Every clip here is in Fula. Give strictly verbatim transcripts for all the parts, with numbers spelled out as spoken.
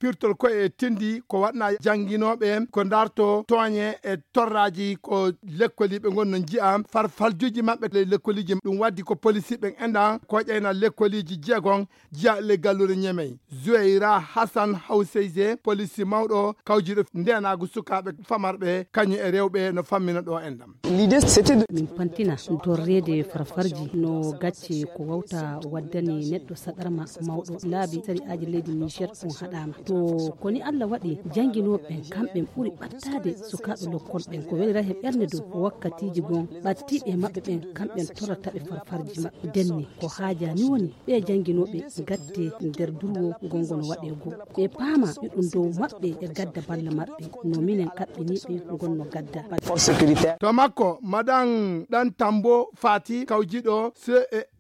Firtol koye e tindi ko waɗna jannginooɓe ko ndarto tooñe e torraaji ko lekkoliiɓe ngon no njiya farfaljuuji maɓɓe e lekkoliiji. Ɗum waddi ko polisiiɓe enɗan ko ƴayna lekkoliiji jeegon jiya le gallure Ñemey. Zuweyra Hasan Hawseyse, polisi mawɗo kawjiiɗo ndeenaagu sukaaɓe famarɓe kañum e rewɓe no fammina ɗo enɗan. Min pantina dorreede farfarji no gacce ko wawta waddani neɗɗo saɗarma mawɗo laabi sari'aaji leydi Niger on haɗaama. To koni Allah waɗi jannginooɓe ɓen kamɓe ɓuri ɓattaade sukaaɓe lokkol ɓen ko welira he ɓernde dow wakkatiiji gon ɓattiiɓe maɓɓe ɓen kamɓe torrata ɓe farfarji maɓɓe denni ko haajani woni ɓe jannginooɓe gatte nder durwo gongo no waɗe goo ɓe paama ɗuɗum dow maɓɓe e gadda balla maɓɓe no minen kaɓɓiniiɓe gonno gadda. To makko madan ɗan tambo fati kawjiɗo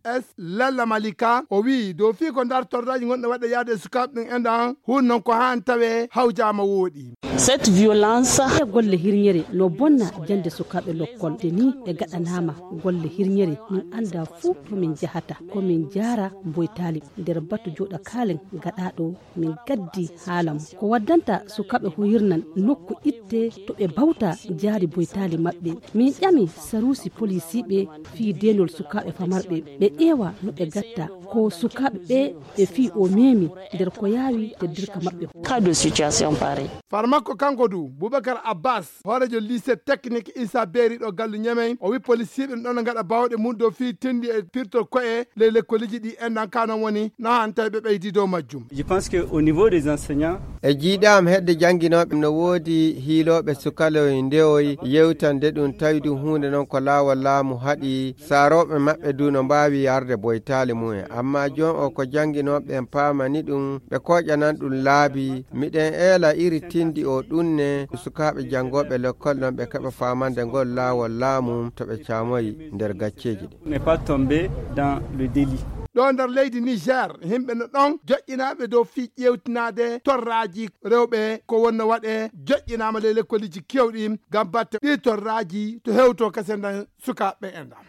ces lalla malika o wi'i dow fii ko ndar torraji gonɗo waɗa yaade e sukaaɓe ɗum enɗan hun non ko haan tawe hawjaama wooɗi. Cette violence e golle hirñere no bonna jannde sukaaɓe lokkol te ni ɓe gaɗanaama golle hirñere min annda fuu to min njahata ko min njaara mboytaali nder batu jooɗa kaalen gaɗaaɗo min gaddi haala mum ko waddanta sukaaɓe huyirnan nokku itte to ɓe bawta jaari boytaali maɓɓe min ƴami saruusi polisiiɓe fii deenol sukaaɓe famarɓe ɓe ƴeewa no ɓe gatta ko sukaaɓe ɓe ɓe fii o meemi nder ko yaawi teddirka maɓɓe. Cas de situation pareil. Farmakko kanko du bubakar abbas hoorejo lycée technique isa beeri ɗo gallu ñamey o wi polisiiɓe no ɗon gaɗa bawɗe mum dow fii tindi e pirtol koye ley lekkoliji ɗi enɗan ka non woni no han tawi ɓe ɓeydi dow majjum. Je pense que au niveau des enseignants e jiiɗaam hedde jannginooɓe no woodi hiilooɓe sukaloy ndewoy yewtande ɗum tawi ɗum huunde noon ko laawol laamu haɗi saarooɓe maɓɓe du no mbaawi yarde boytaali mumen amma joom o ko jannginooɓe en paamani ɗum ɓe kooƴanan ɗum laabi miɗen eela iri tindi o ɗum ne sukaaɓe janngooɓe lekkol noon ɓe keɓa faamande ngol laawol laamu to ɓe caamoyi nder gacceeji ɗi. Ɗo nder leydi niger yimɓe no ɗon joƴƴinaaɓe dow fii ƴeewtinaade torraaji rewɓe ko wonno waɗe joƴƴinaama ley lekkoliji kewɗi ngam batte ɗi torraaji to hewto kese nden sukaaɓe e ndam.